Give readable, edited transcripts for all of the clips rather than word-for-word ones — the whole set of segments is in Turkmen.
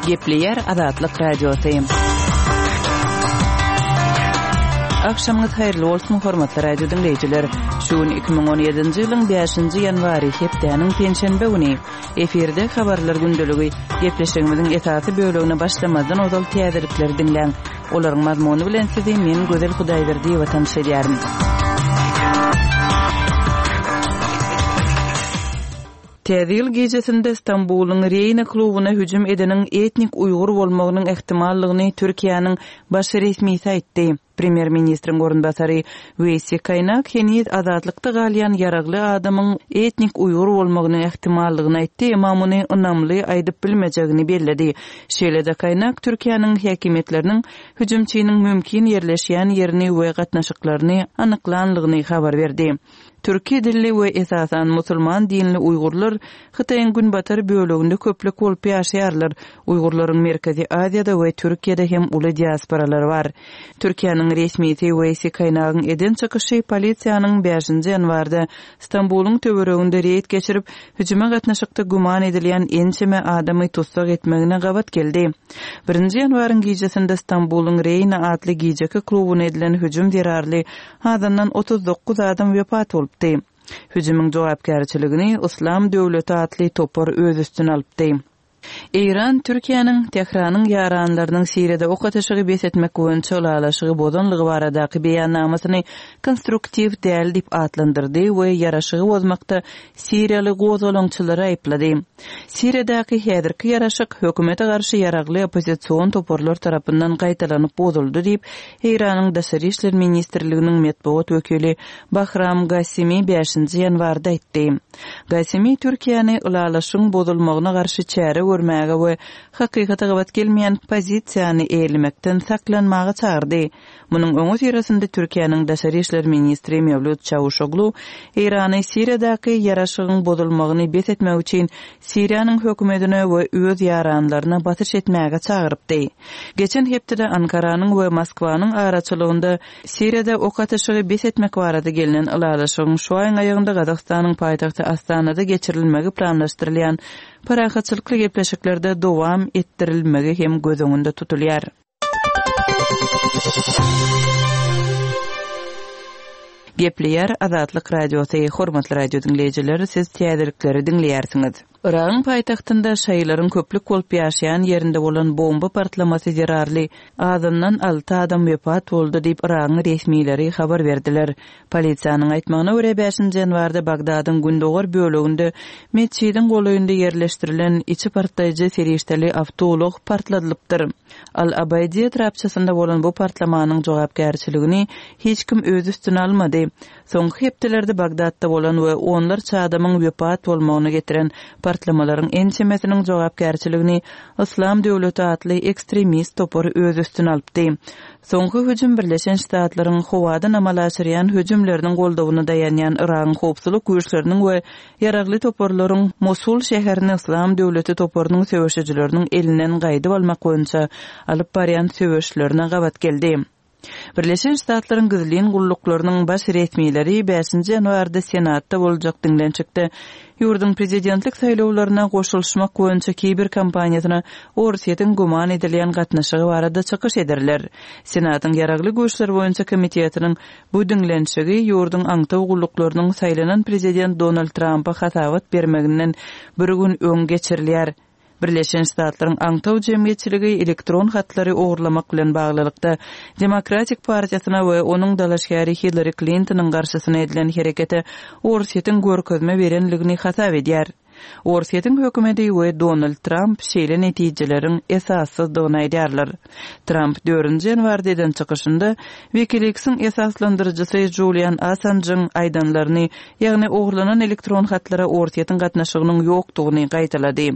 Gepleýär Azatlyk Radiosy. Agşamyňyz haýyrly bolsun, hormatly radio diňleýjiler. Şu gün 2017-nji ýylyň 5-nji ýanwary, hepdäniň penşenbe güni. Efirde habarlar gündeligi. Gepleşigimiziň esasy bölegine başlamazdan ozal täzelikleri diňläň. Olaryň mazmuny bilen sizi men Gözel Hudaýberdiýewa tanyş edýärin. Täze ýyl gijesinde Stambulyň Reýna klubyna hüjüm edeniň etnik uýgur bolmagynyň ähtimallygyny Türkiýäniň baş resmisi aýtdy. Premýer-ministriň orunbasary Weýsi Kaýnak heniz azatlykda galýan ýaragly adamyň etnik uýgur bolmagynyň ähtimallygyny aýtdy, emma muny ynamly aýdyp bilmejegini belledi. Şeýle-de Kaýnak Türkiýäniň häkimiýetleriniň hüjümçiniň mümkin ýerleşýän ýerini we gatnaşyklaryny anyklanlygyny habar berdi. Türki dilli we esasan musulman dinli uýgurlar Hytaýyň günbatar böleginde köplük bolup ýaşaýarlar. Uýgurlaryň Merkezi Aziýada we Türkiýede hem uly diasporalary bar. Türkiýäniň resmisi Weýsi Kaýnagyň eden çykyşy polisiýanyň bäşinji ýanwarda Stambulyň töwereginde reýd geçirip, hüjüme gatnaşykda güman edilýän ençeme adamy tussag etmegine gabat geldi. Birinji ýanwaryň gijesinde Stambulyň Reýna atly gijeki klubuna edilen hüjüm zerarly Azyndan 39 adam wepat bolupdy. Hüjümiň jogapkärçiligini Yslam döwleti atly topar öz üstüne alypdy. Eýran Türkiýäniň Tähranyň ýaranlarynyň Siriýada ok atyşygy bes etmek boýunça ylalaşygy bozanlygy baradaky beýannamasyny konstruktiw däl diýip atlandyrdy we ýaraşygy bozmakda siriýaly gozgalaňçylary aýyplady. Siriýadaky häzirki ýaraşyk hökümete garşy ýaragly oppozision toparlar tarapyndan gaýtalanyp bozuldy diýip, Eýranyň Daşary işler ministrliginiň metbugat wekili Bahram Gasimi bäşinji ýanwarda aýtdy. Gasimi Türkiýäni ylalaşygyň bozulmagyna garşy çäre görmäge we hakykata gabat gelmeýän pozisiýany eýelemekden saklanmaga çagyrdy. Munuň öňüsyrasynda Türkiýäniň daşary işler ministri Mewlüt Çawuşoglu Eýrany Siriýadaky ýaraşygyň bozulmagyny bes etmek üçin Siriýanyň hökümetine we öz ýaranlaryna basyş etmäge çagyrypdy. Geçen hepdede Ankaranyň we Moskwanyň araçylygynda Siriýada ok atyşygy bes etmek barada gelnen ylalaşygyň şu aýyň aýagynda Gazagystanyň paýtagty Astanada geçirilmegi planlaşdyrylýan parahatçylykly gepleşiklerde dowam etdirilmegi hem göz öňünde tutulýar. Gepleýär Azatlyk Radiosy, Hormatly radio diňleýjiler, siz täzelikleri diňleýärsiňiz. Yragyň paýtagtynda şaýylaryň köplük bolup ýaşaýan ýerinde bolan bomba partlamasy zerarly azyndan alty adam wepat boldy diýip, Yragyň resmileri habar berdiler. Polisiýanyň aýtmagyna görä, bäşinji ýanwarda Bagdadyň gündogar böleginde metjidiň golaýynda ýerleşdirilen içi partlaýjy serişdeli awtoulag partladylypdyr. Al-Abaýdi etrapçasynda bolan bu partlamanyň jogapkärçiligini hiç kim öz üstüne almady. Soňky hepdelerde Bagdatda bolan we onlarça adamyň wepat bolmagyna getiren partlamalaryň ençemesiniň jogapkärçiligini Yslam döwleti atly ekstremist topary öz üstüne alypdy. Soňky hüjüm Birleşen Ştatlaryň howadan amala aşyrýan hüjümleriniň goldawyna daýanýan Yragyň howpsuzlyk güýçleriniň we ýaragly toparlaryň Mosul şäherini Yslam döwleti toparynyň söweşijileriniň elinden gaýdyp almak boýunça alyp barýan söweşlerine gabat geldi. Birleşen Ştatlaryň gizlin gulluklarynyň baş resmileri bäşinji ýanwarda Senatda boljak diňlenişikde ýurduň prezidentlik saýlawlaryna goşulyşmak boýunça kiber kampaniýasyna Orsýetiň güman edilýän gatnaşygy barada çykyş ederler. Senatyň Ýaragly güýçler boýunça komitetiniň bu diňlenişigi ýurduň aňtaw gulluklarynyň saýlanan prezident Donald Trampa hasabat bermeginden bir gün öň geçirilýär. Birleşen Ştatlaryň aňtaw jemgyýetçiligi elektron hatlary ogurlamak bilen baglylykda Demokratik partiýasyna we onuň dalaşgäri Hillari Klintonyň garşysyna edilen herekete Orsýetiň görkezme berenligini hasap edýär. Orsýetiň hökümeti we Donald Tramp şeýle netijeleriň esassyzdygyny aýdýarlar. Tramp dördünji ýanwarda eden çykyşynda WikiLeaks-iň esaslandyryjysy Julian Assanjyň aýdanlaryny, ýagny ogurlanan elektron hatlara Orsýetiň gatnaşygynyň ýokdugyny gaýtalady.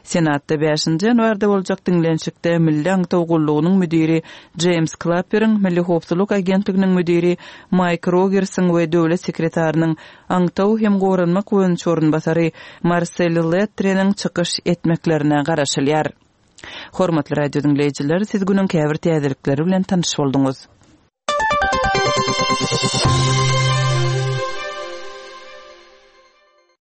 Senatda bäşinji ýanwarda boljak diňlenişikde Milli aňtaw gullugynyň müdiri Jeýms Klapperiň, Milli howpsuzlyk agentliginiň müdiri Maýk Rogersiň we döwlet sekretarynyň aňtaw hem goranmak boýunça orunbasary Marsel Lettreniň çykyş etmeklerine garaşylýar. Hormatly radio diňleýjiler, siz günüň käbir täzelikleri bilen tanyş bolduňyz.